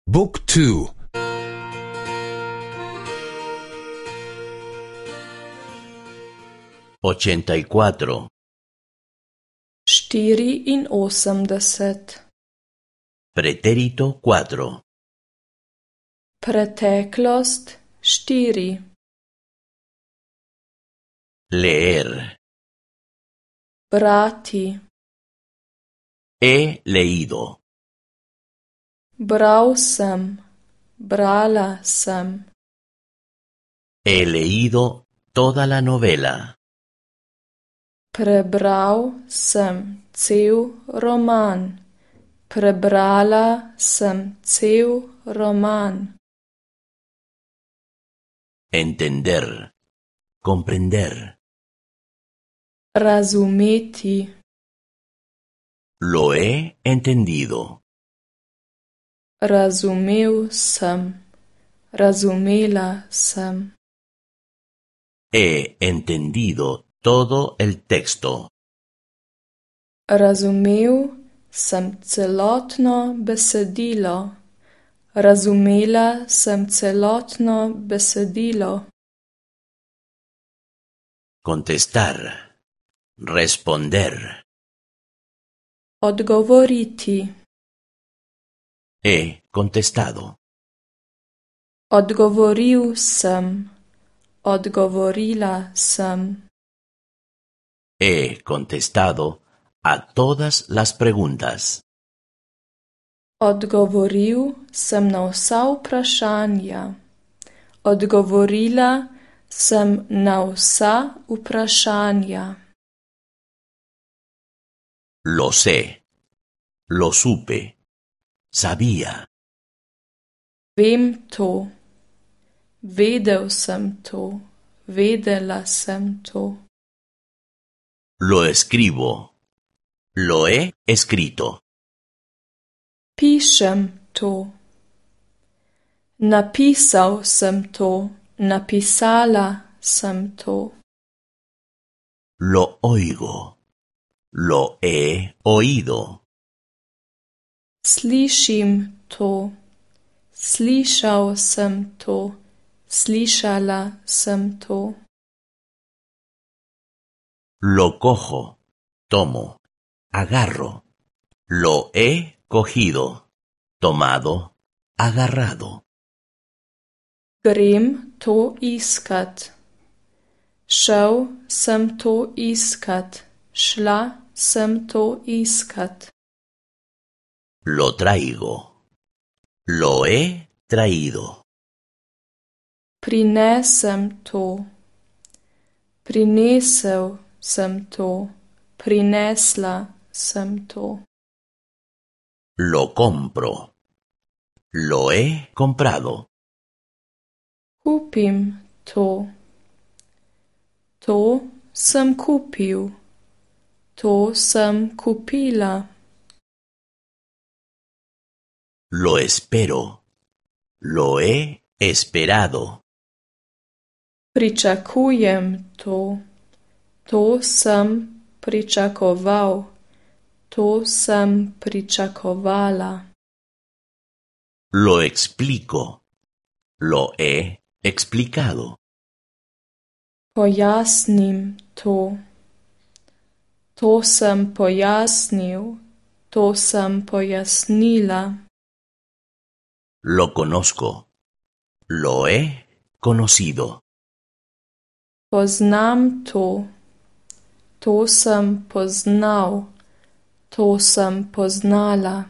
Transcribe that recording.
Book 2. 84. 84. Pretérito 4. Preteklost 4. Leer. Brati. He leído. Bral sem. Brala sem. He leído toda la novela. Prebral sem cel roman. Prebrala sem cel roman. Entender. Comprender. Razumeti. Lo he entendido. Razumel sem. Razumela sem. He entendido todo el texto. Razumel sem celotno besedilo. Razumela sem celotno besedilo. Contestar. Responder. Odgovoriti. He contestado. Odgovoril sem. Odgovorila sem. He contestado a todas las preguntas. Odgovoril sem na vsa vprašanja. Odgovorila sem na vsa vprašanja. Lo sé. Lo supe. Sabía. Vem to. Vedel sem to. Vedela sem to. Lo escribo. Lo he escrito. Pišem to. Napisal sem to. Napisala sem to. Lo oigo. Lo he oído. Slišim to. Slišal sem to. Slišala sem to. Lo cojo. Tomo. Agarro. Lo he cogido. Tomado. Agarrado. Grem to iskat. Šel sem to iskat. Šla sem to iskat. Lo traigo. Lo he traído. Prinesem to. Prinesel sem to. Prinesla sem to. Lo compro. Lo he comprado. Kupim to. To sem kupil. To sem kupila. Lo espero. Lo he esperado. Pričakujem to. To sem pričakoval. To sem pričakovala. Lo explico. Lo he explicado. Pojasnim to. To sem pojasnil. To sem pojasnila. Lo conozco. Lo he conocido. Poznam to. To sem poznal. To sem poznala.